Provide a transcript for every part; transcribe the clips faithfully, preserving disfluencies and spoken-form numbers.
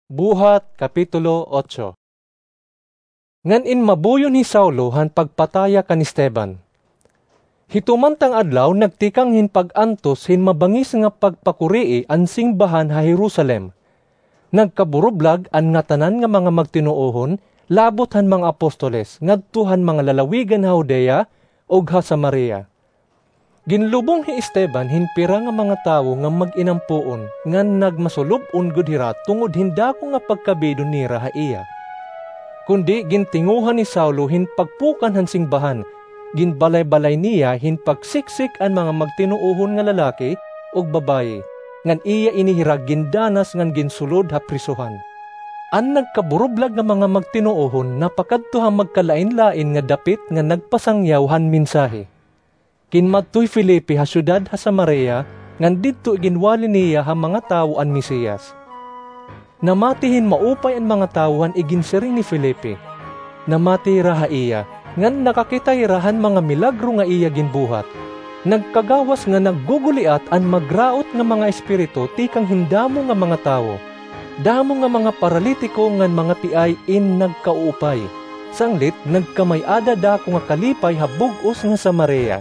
Buhat, Kapitulo otso. Ngan inmabuyon hi Saulo han pagpataya kan Esteban. Hito man tang adlaw nagtikang hin pag-antos hin mabangis nga pagpakurii an singbahan ha Jerusalem. Nagkaburublag an ngatanan nga mga magtinuohon, labot han mga apostoles, ngadto han mga lalawigan ha Judea ug ha Samaria. Ginlubong hi Esteban hin pira nga mga tawo nga mag-inampoon, ngan nagmasulub-on gud hira tungod hin dako nga pagkabidon nira ha iya. Kundi gintinguhan ni Saulo hin pagpukan han singbahan, ginbalay-balay niya hin pagsiksik an mga magtinuohon nga lalaki ug babayi, ngan iya ini hira gindanas ngan ginsulod ha prisohan. An nagkaburublag nga mga magtinuohon napakadto ha magkalain-lain nga dapit ngan nagpasangyaw han mensahe. Kinmadto hi Felipe ha syudad ha Samaria, ngan didto iginwali niya ha mga tawo an Mesiyas. Namati hin maupay an mga tawo han iginsiring ni Felipe. Namati hira ha iya, ngan nakakita hira han mga milagro nga iya ginbuhat. Nagkagawas nga nagguguliat an magraot nga mga espiritu tikang hin damo nga mga tawo. Damo nga mga paralitiko ngan mga piay in nagkauupay. Sanglit nagkamay-ada dako nga kalipay ha bug-os nga Samaria.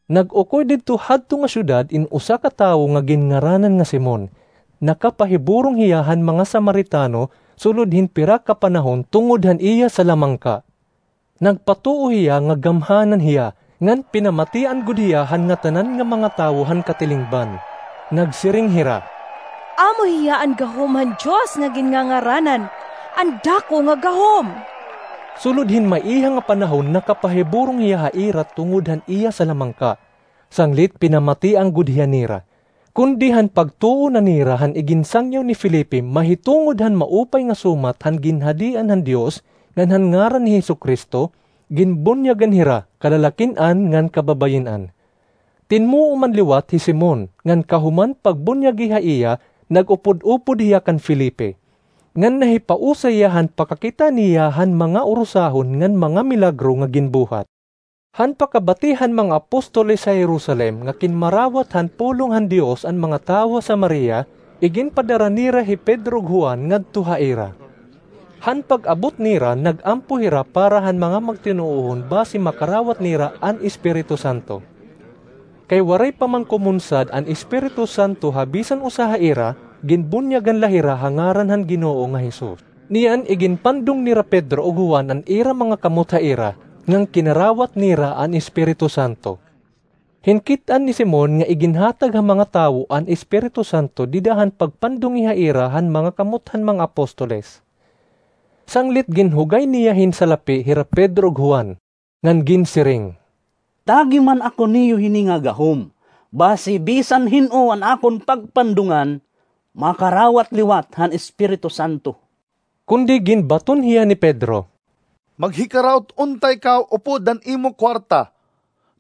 Nag-ukoy didto hadto nga syudad in usa ka tawo nga ginngaranan nga Simon. Nakapahiburong hiya han mga Samaritano sulod hin pira ka panahon tungod han iya salamangka. Nagpatuo hiya nga gamhanan hiya, ngan pinamatian gud hiya han ngatanan nga mga tawo han katilingban. Nagsiring hira, "Amo hiya an gahom han Dios nga ginngangaranan, an dako nga gahom." Sulod hin maiha nga panahon nakapahiburong hiya ha ira tungod han iya salamangka. Sanglit pinamatian gud hiya nira. Kundi han pagtuo na nira han iginsangyaw ni Felipe mahitungod han maupay nga sumat han ginhadian han Dios ngan han ngaran ni Jesu-Cristo, ginbunyagan hira, kalalakin-an ngan kababayin-an. Tinmuo man liwat hi Simon, ngan kahuman pagbunyagi ha iya, nag-upod-upod hiya kan Felipe. Ngan nahipausay hiya han pakakita niya han mga urusahon ngan mga milagro nga ginbuhat. Han pakabati han mga apostoles ha Jerusalem nga kinmarawat han pulong han Dios an mga tawo ha Samaria, iginpadara nira hi Pedro ug Juan ngadto ha ira. Han pag-abot nira, nag-ampo hira para han mga magtinuohon basi makarawat nira an Espiritu Santo. Kay waray pa man kumunsad an Espiritu Santo ha bisan usa ha ira, ginbunyagan la hira ha ngaran han Ginoo nga Jesus. Niyan iginpandong nira Pedro ug Juan an ira mga kamot ha ira, ngan kinarawat nira an Espiritu Santo. Hinkit-an ni Simon nga iginhatag ha mga tawo an Espiritu Santo dida han pagpandongi ha ira han mga kamot han mga apostoles. Sanglit ginhugay niya hin salapi hira Pedro ug Juan, ngan ginsiring, "Tagi man ako niyo hini nga gahom, basi bisan hin-o an akon pagpandongan, makarawat liwat han Espiritu Santo." Kundi ginbaton hiya ni Pedro, "Maghikaraot unta ikaw upod han imo kuwarta,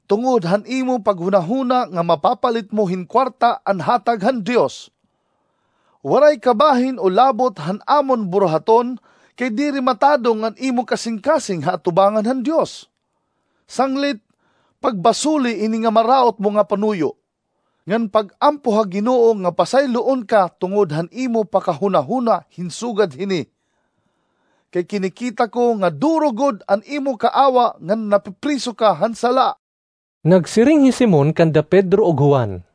tungod han imo paghunahuna nga mapapalit mo hin kuwarta an hatag han Dios. Waray ka bahin o labot han amon buruhaton, kay diri matadong an imo kasingkasing ha atubangan han Dios. Sanglit, pagbasoli ini nga maraot mo nga panuyo, ngan pag-ampo ha Ginoo nga pasayloon ka tungod han imo pakahunahuna hin sugad hini. Kay kinikita ko nga duro gud an imo kaawa ngan napipriso ka han sala." Nagsiring hi Simon kanda Pedro ug Juan,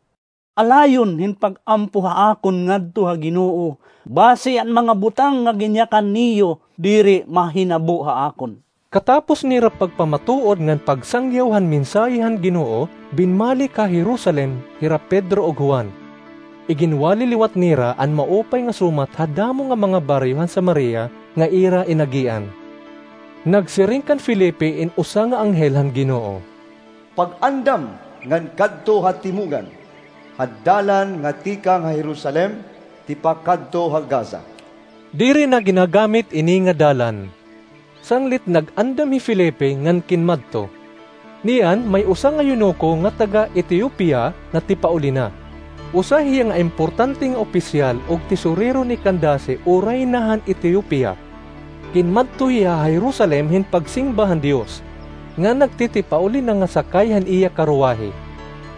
"Alayon hin pag-ampo ha akon ngadto ha Ginoo, basi an mga butang nga ginyakan niyo diri mahinabo ha akon." Katapos nira pagpamatuod ngan pagsangyaw han mensahe han Ginoo, binalik ha Jerusalem hira Pedro ug Juan. Iginwali liwat nira an maupay nga sumat ha damo nga mga baryo han Samaria nga ira inagian. Nagsiring kan Felipe in usa nga anghel han Ginoo, "Pag-andam ngan kadto ha timungan, ha dalan nga tikang ha Jerusalem tipakadto ha Gaza." Diri na ginagamit ini nga dalan. Sanglit nag-andam hi Felipe ngan kinmadto. Niyan, may usa nga eunuko nga taga-Etiopia nga tipauli na. Usa hiya nga importante nga opisyal ug tesorero ni Candace o rayna han Etiopia. Kinmadto hiya ha Jerusalem hin pagsingba han Dios, ngan nagtitipauli na nga sakay han iya karuwahe.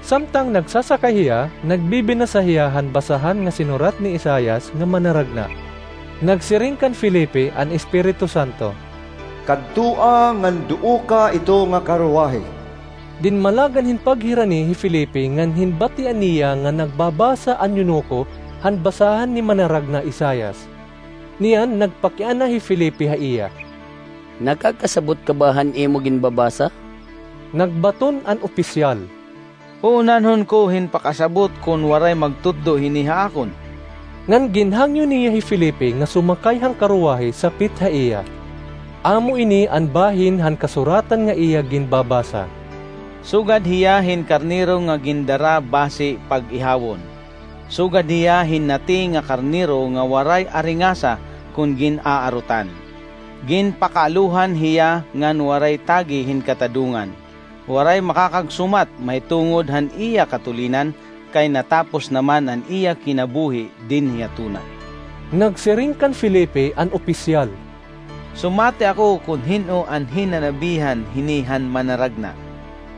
Samtang nagsasakay hiya, nagbibinasa hiya han basahan nga sinurat ni Isaias nga manaragna. Nagsiring kan Felipe an Espiritu Santo, "Kadtoa ngan duoka ito nga karwahe." Dinmalagan hin paghirani hi Felipe ngan hinbatian niya nga nagbabasa an eunuko han basahan ni manaragna Isaias. Niyan nagpakiana hi Felipe ha iya. "Nakakasabot ka ba han imo ginbabasa?" Nagbaton an opisyal, "Uunanhon ko hin pakasabot kon waray magtutdo hini ha akon." Ngan ginhangyo niya hi Felipe nga sumakay han karwahe sapit ha iya. Amo ini an bahin han kasuratan nga iya ginbabasa, "Sugad hiya hin karnero nga gindara basi pag-ihawon. Sugad hiya hin nati nga karnero nga waray aringasa kon gin-aarutan. Ginpakaalohan hiya ngan waray tagi hin katadongan. Waray makakagsumat mahitungod han iya katulinan, kay natapos naman an iya kinabuhi dinhi ha tuna." Nagsiring kan Felipe an opisyal, "Sumati ako kon hin-o an hinanabihan hini han manaragna.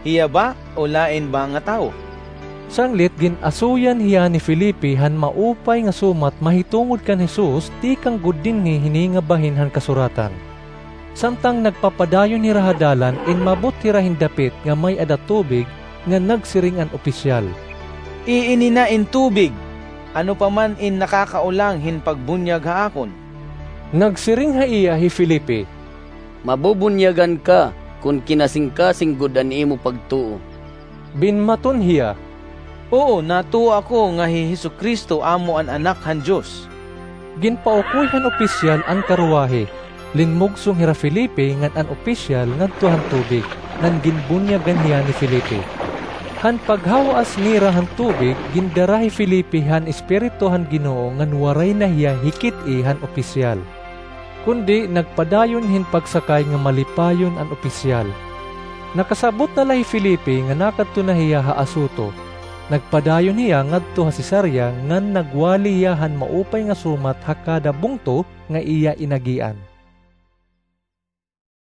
Hiya ba o lain ba nga tawo?" Sanglit gin-asuyan hiya ni Felipe han maupay nga sumat mahitungod kan Jesus tikang gud dinhi hini nga bahin han kasuratan. Samtang nagpapadayon hira ha dalan, inmabot hira hin dapit nga may-ada tubig, ngan nagsiring an opisyal, "Iini na in tubig, ano pa man in nakakaulang hin pagbunyag ha akon." Nagsiring ha iya hi Felipe, "Mabubunyagan ka kon kinasingkasing gud an imo pagtuo." Binmaton hiya, "Oo, natuo ako nga hi Jesu-Cristo amo an Anak han Dios." Ginpaukoy han opisyal an karwahe, linmugsong hira Felipe ngan an opisyal ngadto han tubig, ngan ginbunyagan hiya ni Felipe. Han paghawaas nira han tubig, gindara hi Felipe han Espiritu han Ginoo ngan waray na hiya hikit-i han opisyal. Kundi nagpadayon hin pagsakay nga malipayon an opisyal. Nakasabot na la hi Felipe nga nakadto na hiya ha Azoto. Nagpadayon hiya ngadto ha Cesarea ngan nagwali hiya han maupay nga sumat ha kada bungto nga iya inagian.